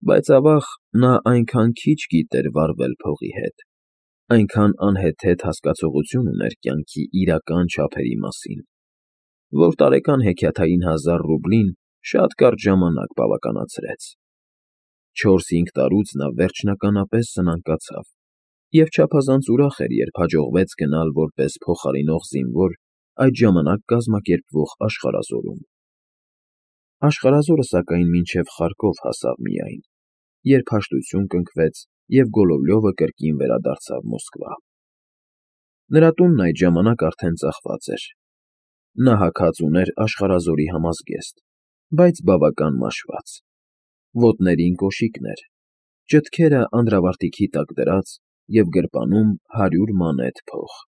Բայց ավաղ նա այնքան քիչ գիտեր վարվել փողի հետ, այնքան անհեթեթ հասկացողություն ուներ կյանքի իրական չափերի մասին, որ տարեկան հեքիաթային 1000 ռուբլին շատ կարճ ժամանակ բավականացրեց։ 4-5 տարուց նա վերջնականապես սնանկացավ և չափազանց ուրախ էր, երբ հաջողվեց գնալ որպես փոխարինող զինվոր այդ ժամանակ կազմակերպվող աշխարհազորում։ Աշխարհազորը, սակայն, մինչև Խարկով հասավ միայն, երբ հաշտություն կնքվեց և Գոլովլյովը կրկին վերադարձավ Մոսկվա։ Նրա տունն այդ ժամանակ արդեն ծախված էր։ Նա հագած ուներ աշխարհազորի համազգեստ, բայց բավական մաշված, ոտներին կոշիկներ, ճտքերը անդրավարտիքի տակ դրած և գրպանում 100 մանեթ փող։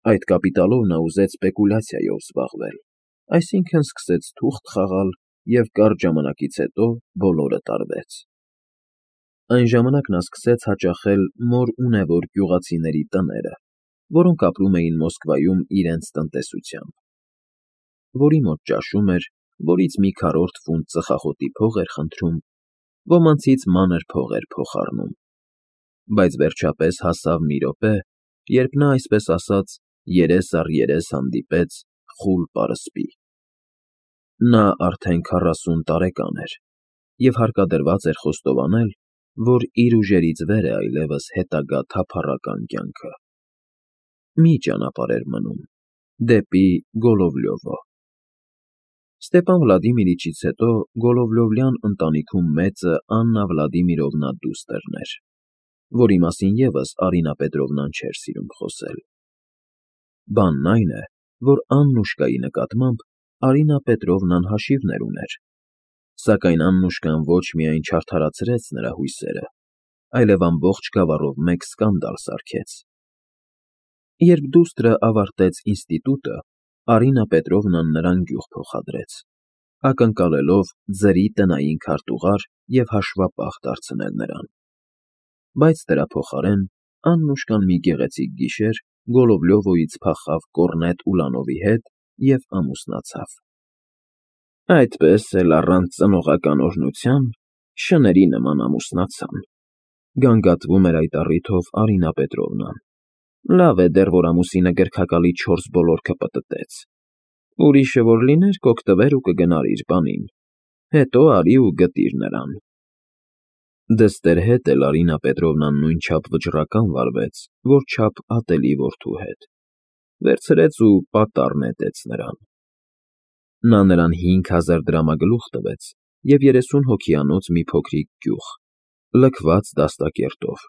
Այդ կապիտալով նա ուզեց սպեկուլյացիայով զբաղվել, այսինքն՝ սկսեց թուղթ խաղալ և կարճ ժամանակից հետո բոլորը տարվեց։ Այն ժամանակ նա սկսեց հաճախել մոր ունևոր գյուղացիների տները, որոնք ապրում էին Մոսկվայում իրենց տնտեսությամբ, որի մոտ ճաշում էր, որից մի քառորդ ֆունտ ծխախոտի փող էր խնդրում, ոմանցից մանր փող էր փոխառնում, բայց վերջապես հասավ մի րոպե, երբ նա, այսպես ասած, երես առ երես հանդիպեց խուլ պարսպի։ Նա արդեն 40 տարեկան էր և հարկադրված էր խոստովանել, որ իր ուժերից վեր է այլևս հետագա թափառական կյանքը։ Մի ճանապարհ էր մնում՝ դեպի Գոլովլյովո։ Ստեպան Վլադիմիրիչից հետո Գոլովլյովյան ընտանիքում մեծը Աննա Վլադիմիրովնա դուստրն էր, որի մասին ևս Արինա Պետրովնան չէր սիրում խոսել։ Բանն այն է, որ Աննուշկայի նկատմամբ Արինա Պետրովնան հաշիվներ ուներ, սակայն Աննուշկան ոչ միայն չարդարացրեց նրա հույսերը, այլև ամբողջ գավառով մեկ սկանդալ սարքեց։ Երբ դուստրը ավարտեց ինստիտուտը, Արինա Պետրովնան նրան գյուղ փոխադրեց, ակնկալելով ձրի տնային քարտուղար և հաշվապահ դարձնել նրան։ Բայց դրա փոխարեն Աննուշկան մի գեղեցիկ գիշեր Գոլովլյովոյից փախավ կոռնետ Ուլանովի հետ և ամուսնացավ։ Այդպես էլ առանց ծնողական օրհնության շների նման ամուսնացան, գանգատվում էր այդ առիթով Արինա Պետրովնան։ Լավ է դեռ, որ ամուսինը գրքակալի 4 բոլորքը պտտեց։ Ուրիշը որ լիներ, կօգտվեր ու կգնար իր բանին, հետո արի ու գտիր նրան։ Դստեր հետ էլ Արինա Պետրովնան նույնչափ վճռական վարվեց, որչափ ատելի որդու հետ, վերցրեց ու պատառ նետեց նրան։ Նա նրան 5000 դրամագլուխ տվեց և 30 հոգիանոց մի փոքրիկ գյուղ, լքված դաստակերտով,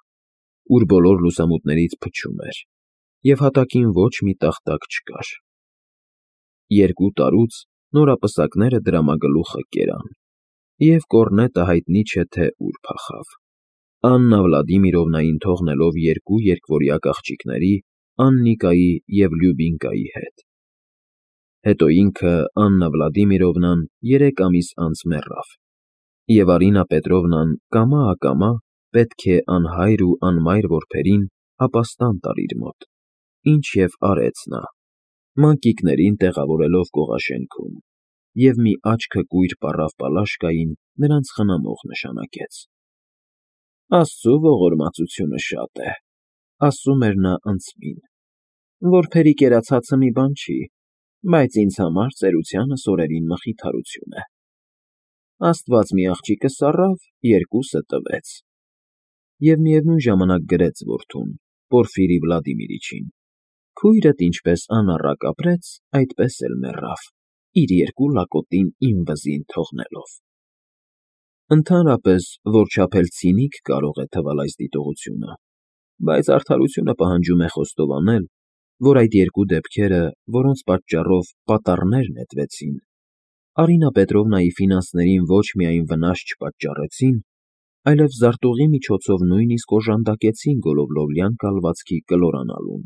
ուր բոլոր լուսամուտներից փչում էր, և հատակին ոչ մի տախտակ չկար։ 2 տարուց նորապսակները դրամագլուխը կերան, և կոռնետը հայտնի չէ, թե ուր փախավ, Աննա Վլադիմիրովնային թողնելով 2 երկվորյակ աղջիկների՝ Աննիկայի և Լյուբինկայի հետ։ Հետո ինքը, Աննա Վլադիմիրովնան, 3 ամիս անց մեռավ, և Արինա Պետրովնան կամա֊ակամա պետք է անհայր ու անմայր որբերին ապաստան տար իր մոտ, ինչ և արեց նա, մանկիկներին տեղավորելով կողաշենքում, և մի աչքըկույր պառավ Պալաշկային նրանց խնամող նշանակեց։ Աստծու ողորմածությունը շատ է, ասում էր նա ընծմին, որբերի կերացածը մի բան չի, բայց ինձ համար ծերությանս օրերին մխիթարություն է։ Աստված մի աղջիկը սառավ, 2-ը տվեց։ Եվ միևնույն ժամանակ գրեց որդուն՝ Պորֆիրի Վլադիմիրիչին. քույրդ ինչպես անառակ ապրեց, այդպես էլ մեռավ, իր 2 լակոտին իմ վզին թողնելով։ Ընդհանրապես, որչափ էլ ցինիկ կարող է թվալ այս դիտողությունը, բայց արդարությունը պահանջում է խոստովանել, որ այդ 2 դեպքերը, որոնց պատճառով պատառներ նետվեցին, Արինա Պետրովնայի ֆինանսներին ոչ միայն վնաս չպատճառեցին, այլև զարտուղի միջոցով նույնիսկ օժանդակեցին Գոլովլովյան կալվածքի կլորանալուն,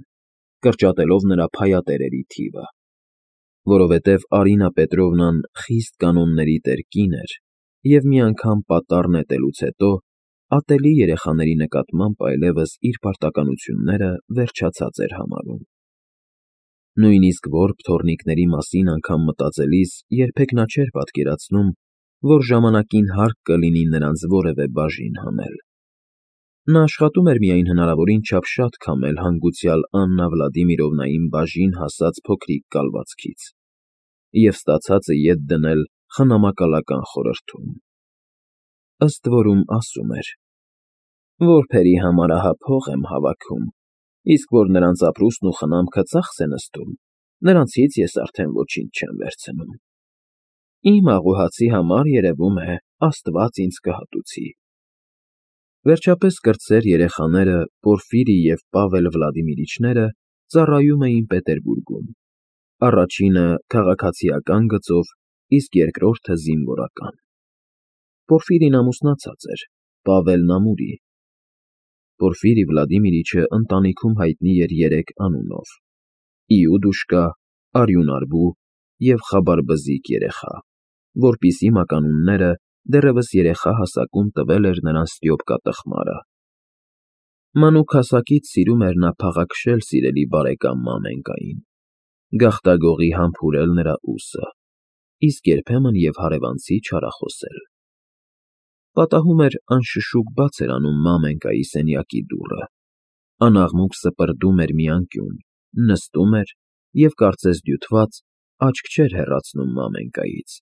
կրճատելով նրա փայատերերի թիվը։ Որովհետև Արինա Պետրովնան խիստ կանոնների տեր կին էր և մի անգամ պատառ նետելուց հետո ատելի երեխաների նկատմամբ այլևս իր պարտականությունները վերջացած էր համարում։ Նույնիսկ որբ թոռնիկների մասին անգամ մտածելիս երբեք նա չէր պատկերացնում, որ ժամանակին հարկ կլինի նրանց որևէ բաժին հանել։ Նա աշխատում էր միայն հնարավորին չափ շատ քամել հանգուցյալ Աննա Վլադիմիրովնային բաժին հասած փոքրիկ կալվածքից և ստացածը ետ դնել խնամակալական խորհրդում։ Ըստ որում ասում էր. «Որբերի համար ահա փող եմ հավաքում, իսկ որ նրանց ապրուստն ու խնամքը ծախս է նստում, նրանցից ես արդեն ոչինչ չեմ վերցնում։ Իմ աղուհացի համար, երևում է, Աստված ինձ կհատուցի»։ Վերջապես կրտսեր երեխաները Պորֆիրի և Պավել Վլադիմիրիչները ծառայում էին Պետերբուրգում, առաջինը քաղաքացիական գծով, իսկ երկրորդը զինվորական։ Պորֆիրին ամուսնացած էր, Պավելն ամուրի։ Պորֆիրի Վլադիմիրիչը ընտանիքում հայտնի էր երեք անունով՝ Իուդուշկա, Արյունարբու և Խաբարբզիկ երեխա, որպիսի մականունները դեռևս երեխա հասակում տվել էր նրան Ստյոպկա տխմարը։ Մանուկ հասակից սիրում էր նա փաղաքշել սիրելի բարեկամ Մամենկային, գաղտագողի համբուրել նրա ուսը, իսկ երբեմն և հարևանցի չարախոսել։ Պատահում էր անշշուկ բաց էր անում Մամենկայի սենյակի դուռը, անաղմուկ սպրդում էր մի անկյուն, նստում էր և, կարծես դյութված, աչք չէր հեռացնում Մամենկայից,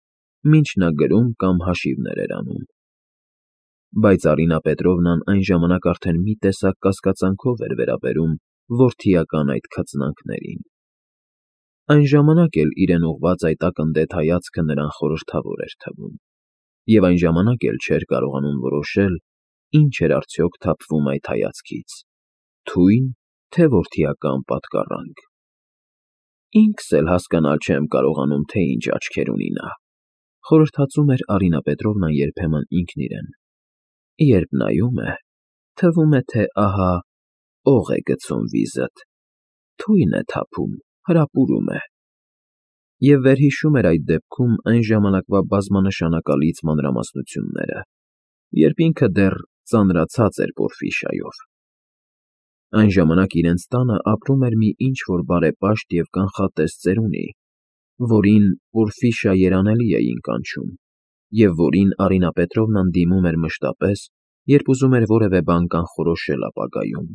մինչ նա գրում կամ հաշիվներ էր անում։ Բայց Արինա Պետրովնան այն ժամանակ արդեն մի տեսակ կասկածանքով էր վերաբերում որդիական այդ քծնանքներին։ Այն ժամանակ էլ իրեն ուղղված այդ ակնթեթ հայացքը նրան խորհրդավոր էր թվում, և այն ժամանակ էլ չէր կարողանում որոշել՝ ինչ էր արդյոք թափվում այդ հայացքից՝ թույն, թե որդիական պատկառանք։ «Ինքս էլ հասկանալ չեմ կարողանում, թե ինչ աչքեր ունի նա», խորհրդածում էր Արինա Պետրովնան երբեմն ինքն իրեն։ «Երբ նայում է, թվում է, թե ահա օղ է գցում վիզդ, թույն է թափում, հրապուրում է»։ Եվ վերհիշում էր այդ դեպքում այն ժամանակվա բազմանշանակալից մանրամասնությունները, երբ ինքը դեռ ծանրացած էր Պորֆիշայով։ Այն ժամանակ իրենց տանը ապրում էր մի ինչ֊որ բարեպաշտ և կանխատես ծերունի, որին Պորֆիշա երանելի էին կանչում, և որին Արինա Պետրովնան դիմում էր մշտապես, երբ ուզում էր որևէ բան կանխորոշել ապագայում։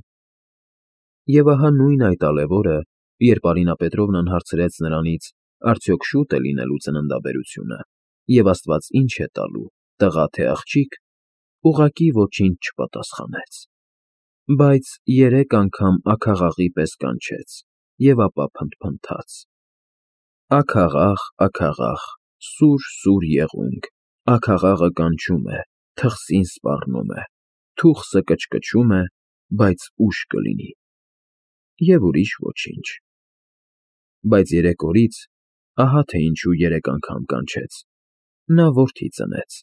Եվ ահա նույն այդ ալևորը, երբ Արինա Պետրովնան հարցրեց նրանից, արդյոք շուտ է լինելու ծննդաբերությունը, և Աստված ինչ է տալու, տղա թե աղջիկ, ուղղակի ոչինչ չպատասխանեց, բայց 3 անգամ աքաղաղի պես կանչեց և ապա փնթփնթաց. «Աքաղաղ, աքաղաղ, սուր, սուր եղունգ, աքաղաղը կանչում է, թխսին սպառնում է, թուխսը կչկչում է, բայց ուշ կլինի» և ուրիշ ոչինչ։ Բայց 3 օրից, ահա թե ինչու 3 անգամ կանչեց, նա որդի ծնեց,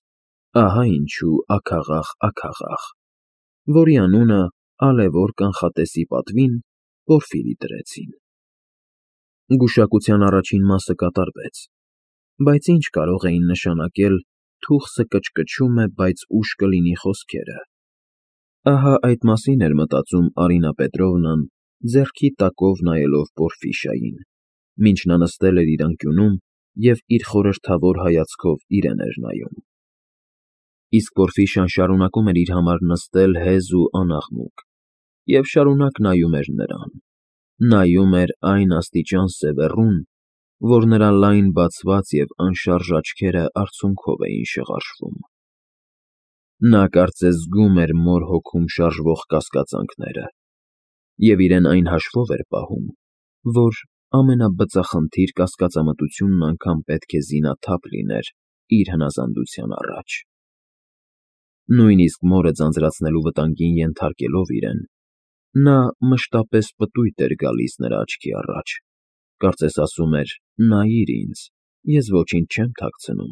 ահա ինչու աքաղաղ, աքաղաղ, որի անունը ալևոր կանխատեսի պատվին Պորֆիրի դրեցին։ Գուշակության առաջին մասը կատարվեց, բայց ինչ կարող էին նշանակել «թուխսը կչկչում է, բայց ուշ կլինի» խոսքերը։ Ահա այդ մասին էր մտածում Արինա Պետրովնան, ձեռքի տակով նայելով Պորֆիշային, մինչ նա նստել էր իր անկյունում և իր խորհրդավոր հայացքով իրեն էր նայում։ Իսկ Պորֆիշան շարունակում էր իր համար նստել հեզ ու անաղմուկ և շարունակ նայում էր նրան, նայում էր այն աստիճան սևեռուն, որ նրա լայն բացված և անշարժ աչքերը արցունքով էին շղարշվում։ Նա կարծես զգում էր մոր հոգում շարժվող կասկածանքները և իրեն այն հաշվով էր պահում, որ ամենաբծախնդիր կասկածամտությունն անգամ պետք է զինաթափ լիներ իր հնազանդության առաջ։ Նույնիսկ մորը ձանձրացնելու վտանգին ենթարկելով իրեն, նա մշտապես պտույտ էր գալիս նրա աչքի առաջ, կարծես ասում էր. «Նայիր ինձ, ես ոչինչ չեմ թաքցնում,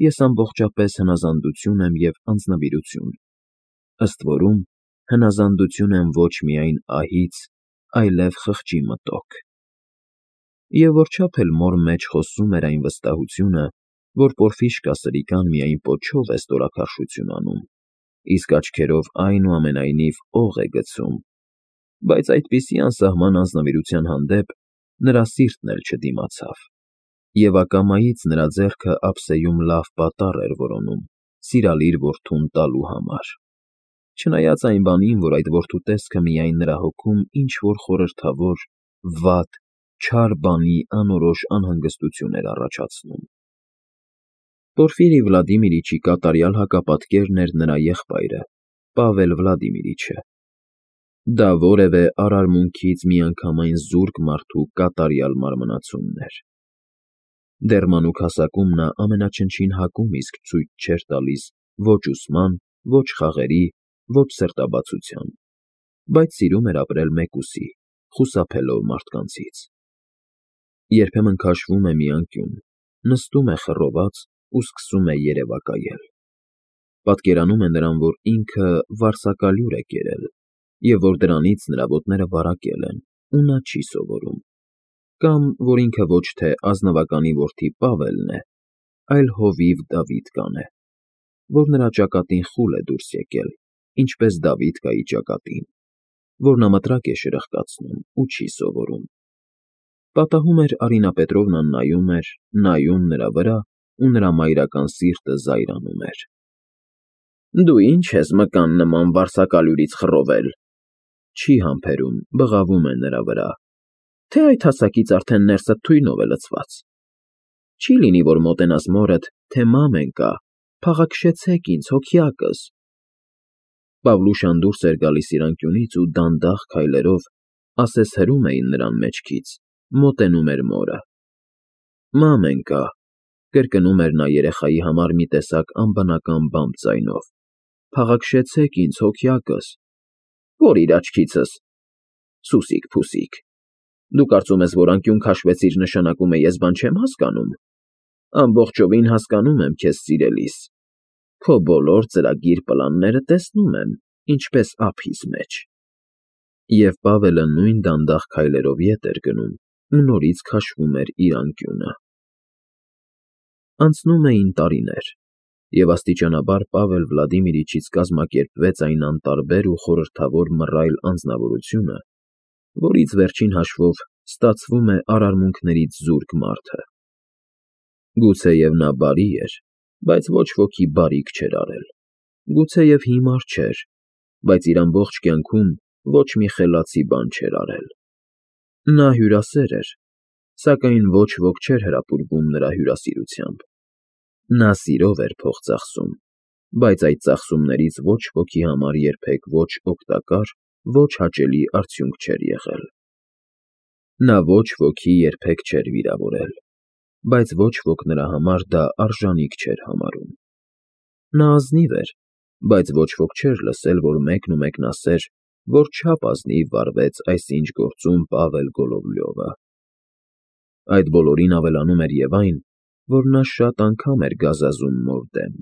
ես ամբողջապես հնազանդություն եմ և անձնվիրություն, ըստ որում հնազանդություն եմ ոչ միայն ահից, այլև խղճի մտոք»։ Եվ որչափ էլ մոր մեջ խոսում էր այն վստահությունը, որ Պորֆիշկա Սրիկան միայն պոչով է ստորաքարշություն անում, իսկ աչքերով այնուամենայնիվ օղ է գցում, բայց այդպիսի անսահման անձնվիրության հանդեպ նրա սիրտն էլ չդիմացավ, Եվ ակամայից նրա ձեռքը ափսեում լավ պատառ էր որոնում սիրալիր որդուն տալու համար, չնայած այն բանին, որ այդ որդու տեսքը միայն նրա հոգում ինչ-որ խորհրդավոր, վատ, չար բանի անորոշ անհանգստություն էր առաջացնում։ Պորֆիրի Վլադիմիրիչի կատարյալ հակապատկերն էր նրա եղբայրը, Պավել Վլադիմիրիչը։ Դա որևէ արարմունքից միանգամայն զուրկ մարդու կատարյալ մարմնացումն էր։ Դեռ մանուկ հասակում նա ամենաչնչին հակում իսկ ցույց չէր տալիս ոչ ուսման, ոչ խաղերի, ոչ սրտաբացության, բայց սիրում էր ապրել մեկուսի, խուսափելով մարդկանցից։ Երբեմն քաշվում է մի անկյուն, նստում է խռոված ու սկսում է երևակայել։ Պատկերանում է նրան, որ ինքը վարսակալյուր է կերել, և որ դրանից նրա ոտները վարակել են, ու նա չի սովորում, կամ որ ինքը ոչ թե ազնվականի որդի Պավելն է, այլ հովիվ Դավիթկան է, որ նրա ճակատին խուլ է դուրս եկել, ինչպես Դավիթկայի ճակատին, որ նա մտրակ է շրխկացնում ու չի սովորում։ Պատահում էր Արինա Պետրովնան նայում էր, նայում նրա վրա, ու նրա մայրական սիրտը զայրանում էր։ Դու ի՞նչ ես մկան նման վարսակալյուրից խռովել, չի համբերում, բղավում է նրա վրա, թե այդ հասակից արդեն ներսդ թույնով է լցված։ Չի լինի, որ մոտենաս մորդ, թե մամեն կա, փաղաքշեցեք ինձ, հոգյակս։ Պավլուշան դուրս էր գալիս իր անկյունից ու դանդաղ քայլերով, ասես հրում էին նրան մեջքից, մոտենում էր մորը։ Մամեն կա, կրկնում էր նա երեխայի համար մի տեսակ անբնական բամբ ձայնով, փաղաքշեցեք ինձ, հոգյակս։ Որ իր աչքիցս, սուսիկ-փուսիկ, դու կարծում ես, որ անկյուն քաշվեցիր նշանակում է ես բան չեմ հասկանում։ Ամբողջովին հասկանում եմ քեզ սիրելիս, քո բոլոր ծրագիր պլանները տեսնում եմ, ինչպես ափիս մեջ։ Եվ Պավելը նույն դանդաղ քայլերով ետ էր գնում ու նորից քաշվում էր իր անկյունը։ Անցնում էին տարիներ, և աստիճանաբար Պավել Վլադիմիրիչից կազմակերպվեց այն անտարբեր ու խորհրդավոր մռայլ անձնավորությունը, որից վերջին հաշվով ստացվում է արարմունքներից զուրկ մարդը։ Գուցեև նա բարի էր, բայց ոչ ոքի բարիք չէր արել, գուցեև հիմար չէր, բայց իր ամբողջ կյանքում ոչ մի խելացի բան չէր արել։ Նա հյուրասեր էր, սակայն ոչ ոք չէր հրապուրվում նրա հյուրասիրությամբ։ Նա սիրով էր փող ծախսում, բայց այդ ծախսումներից ոչ ոքի համար երբեք ոչ օգտակար, ոչ հաճելի արդյունք չէր եղել։ Նա ոչ ոքի երբեք չէր վիրավորել, բայց ոչ ոք նրա համար դա արժանիք չէր համարում։ Նա ազնիվ էր, բայց ոչ ոք չէր լսել, որ մեկնումեկն ասեր, որ չափ ազնիվ վարվեց այսինչ գործում Պավել Գոլովլյովը։ Այդ բոլորին ավելանում էր և այն, որ նա շատ անգամ էր գազազում մոր դեմ,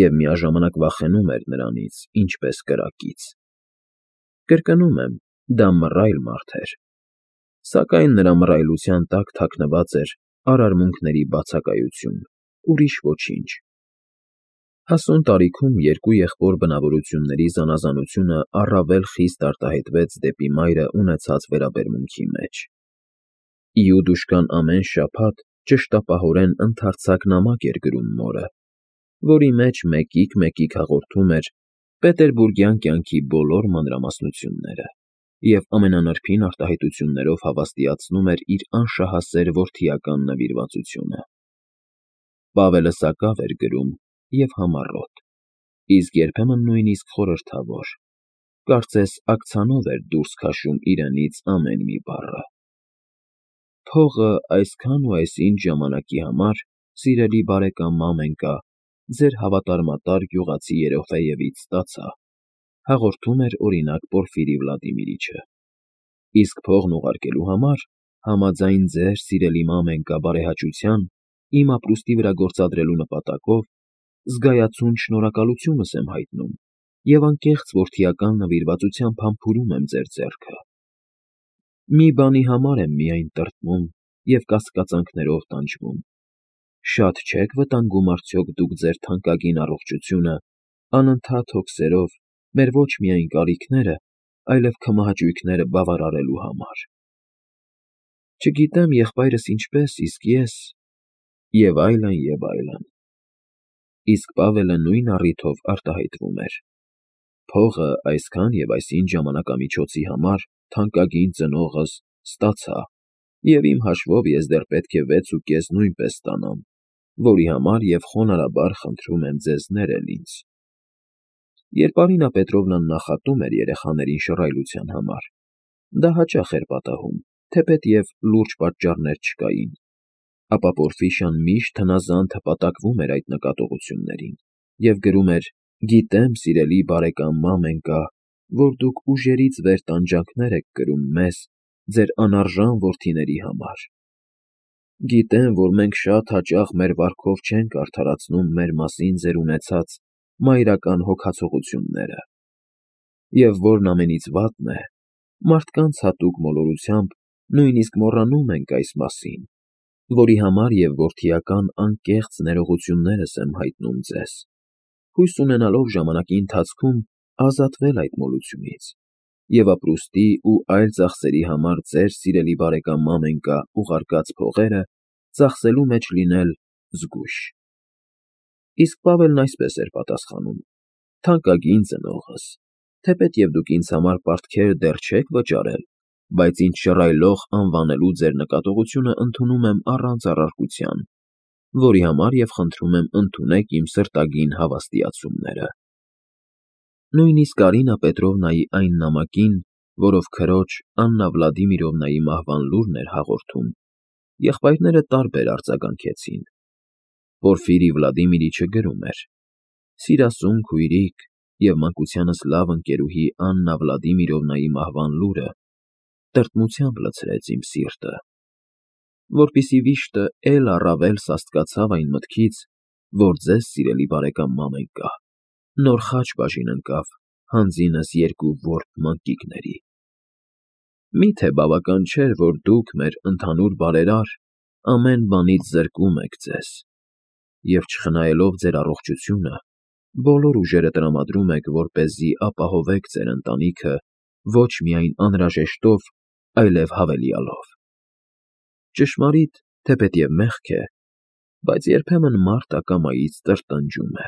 և միաժամանակ վախենում էր նրանից, ինչպես կրակից։ Կրկնում եմ, դա մռայլ մարդ էր, սակայն նրա մռայլության տակ թաքնված էր արարմունքների բացակայություն, ուրիշ ոչինչ։ Հասուն տարիքում երկու եղբոր բնավորությունների զանազանությունը առավել խիստ արտահայտվեց դեպի մայրը ունեցած վերաբերմունքի մեջ։ Իուդուշկան ամեն շաբաթ ճշտապահորեն ընդարձակ նամակ էր գրում մորը, որի մեջ մեկիկ հաղորդում էր պետերբուրգյան կյանքի բոլոր մանրամասնությունները և ամենանրբին արտահայտություններով հավաստիացնում էր իր անշահասեր որդիական նվիրվածությունը։ Պավելը սակավ էր գրում և համառոտ, իսկ երբեմն նույնիսկ խորհրդավոր, կարծես աքցանով էր դուրս քաշում իրենից ամեն մի բառը։ Փողը այսքան ու այսինչ ժամանակի համար, սիրելի բարեկամ Մամենկա, ձեր հավատարմատար գյուղացի Երոֆեևից ստացա, հաղորդում էր օրինակ Պորֆիրի Վլադիմիրիչը։ Իսկ փողն ուղարկելու համար, համաձայն ձեր սիրելի Մամենկա բարեհաճության, իմ ապրուստի վրա գործադրելու նպատակով, զգայացուն շնորհակալությունս եմ հայտնում և անկեղծ որդիական նվիրվածությամբ համբուրում եմ ձեր ձեռքը։ Մի բանի համար եմ միայն տրտմում և կասկածանքներով տանջվում. շատ չե՞ք վտանգում արդյոք դուք ձեր թանկագին առողջությունը անընդհատ հոգսերով մեր ոչ միայն կարիքները, այլև քմահաճույքները բավարարելու համար։ Չգիտեմ եղբայրս ինչպես, իսկ ես, Եվ այլն, և այլն։ Իսկ Պավելը նույն առիթով արտահայտվում էր. «Փողը այսքան և այսինչ ժամանակամիջոցի համար թանկագին ծնողս ստացա, և իմ հաշվով ես դեռ պետք է 6.5 նույնպես ստանամ, որի համար և խոնարհաբար խնդրում եմ ձեզ ներել ինձ»։ Երբ Արինա Պետրովնան նախատում էր երեխաներին շռայլության համար, դա հաճախ էր պատահում, թեպետև լուրջ պատճառներ չկային, ապա Պորֆիրիան միշտ հնազանդ հպատակվում էր այդ նկատողություններին և գրում էր. «Գիտեմ, սիրելի բարեկամ մամենկա, որ դուք ուժերից վեր տանջանքներ եք կրում մեզ, ձեր անարժան որդիների համար։ Գիտեմ, որ մենք շատ հաճախ մեր վարքով չենք արդարացնում մեր մասին ձեր ունեցած մայրական հոգացողությունները։ Եվ որն ամենից վատն է, մարդկանց հատուկ մոլորությամբ նույնիսկ մոռանում ենք այս մասին, որի համար և որդիական անկեղծ ներողություններս եմ հայտնում ձեզ, հույս ունենալով ժամանակի ընթացքում ազատվել այդ մոլությունից և ապրուստի ու այլ ծախսերի համար ձեր սիրելի բարեկամ մամենկա ուղարկած փողերը ծախսելու մեջ լինել զգույշ»։ Իսկ Պավելն այսպես էր պատասխանում. «Թանկագին ծնողս, թեպետև դուք ինձ համար պարտքեր դեռ չեք վճարել, բայց ինձ շռայլող անվանելու ձեր նկատողությունը ընդունում եմ առանց առարկության, որի համար և խնդրում եմ ընդունեք իմ սրտագին հավաստիացումները»։ Նույնիսկ Արինա Պետրովնայի այն նամակին, որով քրոջ Աննա Վլադիմիրովնայի մահվան լուրն էր հաղորդում, եղբայրները տարբեր արձագանքեցին։ Պորֆիրի Վլադիմիրիչը գրում էր. «Սիրասուն քույրիկ և մանկությանս լավ ընկերուհի Աննա Վլադիմիրովնայի մահվան լուրը տրտմությամբ լցրեց իմ սիրտը, որպեսզի վիշտը էլ առավել սաստկացավ այն մտքից, որ ձեզ, սիրելի բարեկամ մամենկա, նոր խաչ բաժին ընկավ հանձինս 2 որբ մանկիկների։ Մի՞թե բավական չէր, որ դուք, մեր ընդհանուր բարերար, ամեն բանից զրկում եք ձեզ և, չխնայելով ձեր առողջությունը, բոլոր ուժերը տրամադրում եք, որպեսզի ապահովեք ձեր ընտանիքը ոչ միայն անհրաժեշտով, այլև հավելյալով։ Ճշմարիտ, թեպետև մեղք է, բայց երբեմն մարդ ակամայից տրտնջում է։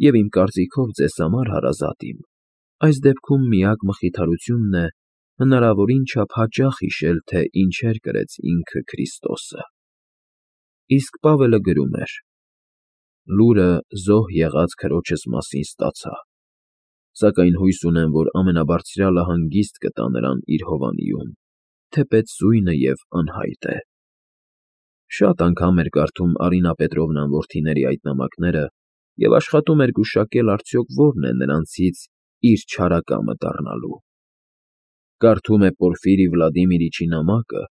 Եվ իմ կարծիքով ձեզ համար, հարազատ իմ, այս դեպքում միակ մխիթարությունն է հնարավորին չափ հաճախ հիշել, թե ինչեր կրեց ինքը Քրիստոսը»։ Իսկ Պավելը գրում էր. «Լուրը զոհ եղած քրոջս մասին ստացա, սակայն հույս ունեմ, որ ամենաբարձրյալը հանգիստ կտա նրան իր հովանիում, թեպետ սույնը և անհայտ է»։ Շատ անգամ էր կարդում Արինա Պետրովնան որդիների այդ նամակները և աշխատում էր գուշակել արդյոք որն է նրանցից իր չարակամը դառնալու։ Կարդում է Պորֆիրի Վլադիմիրիչի նամակը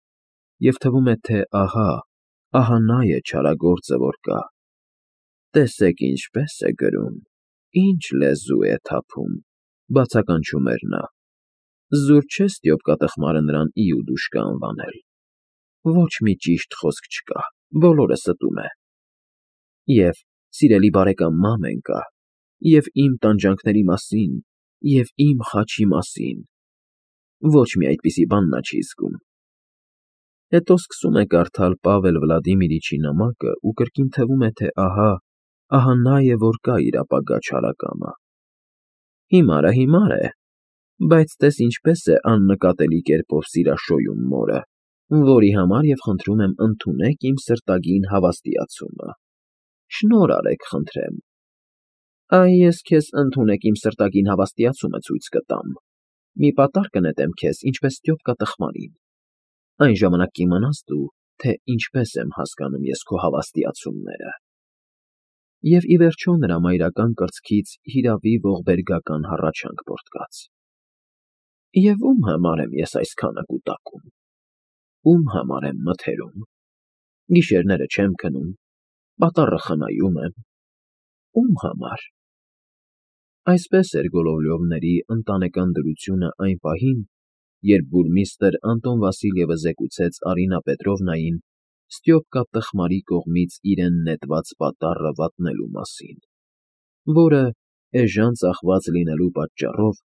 և թվում է, թե ահա նա է չարագործը, որ կա։ «Տեսեք ինչպես է գրում, ինչ լեզու է թափում», բացականչում էր նա։ «Զուր չէ Ստյոպկա տխմարը նրան Իուդուշկա անվանել։ Ոչ մի ճիշտ խոսք չկա, բոլորը ստում է։ Եվ, սիրելի բարեկամ մամենկա, և իմ տանջանքների մասին, և իմ խաչի մասին, ոչ մի այդպիսի բան նա չի զգում»։ Հետո սկսում է կարդալ Պավել Վլադիմիրիչի նամակը ու կրկին թվում է, թե ահա նա է, որ կա իր ապագա չարակամը։ Հիմարը, բայց տես ինչպես է աննկատելի կերպով սիրաշոյում մորը, որի համար և խնդրում եմ ընդունեք իմ սրտագին հավաստիացումը։ Շնորհ արեք, խնդրեմ։ Այ ես քեզ ընդունեք իմ սրտագին հավաստիացումը ցույց կտամ։ Մի պատառ կնետեմ քեզ, ինչպես Ստյոպկա տխմարին։ Այն ժամանակ կիմանաս դու, թե ինչպես եմ հասկանում ես քո հավաստիացումները։ Եվ ի վերջո նրա մայրական կրծքից հիրավի ողբերգական հառաչանք պոռթկաց. «Եվ ում համար եմ ես այսքանը կուտակում, ում համար եմ մթերում, գիշերները չեմ քնում, պատառը խնայում եմ, ում համար»։ Այսպես էր Գոլովլյովների ընտանեկան դրությունը այն պահին, երբ բուրմիստրը Անտոն Վասիլյևը զեկուցեց Արինա Պետրովնային Ստյոպկա տխմարի կողմից իրեն նետված պատառը վատնելու մասին, որը, էժան ծախված լինելու պատճառով,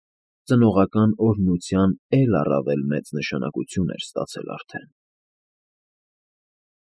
ծնողական օրհնության էլ առավել մեծ նշանակություն էր ստացել արդեն։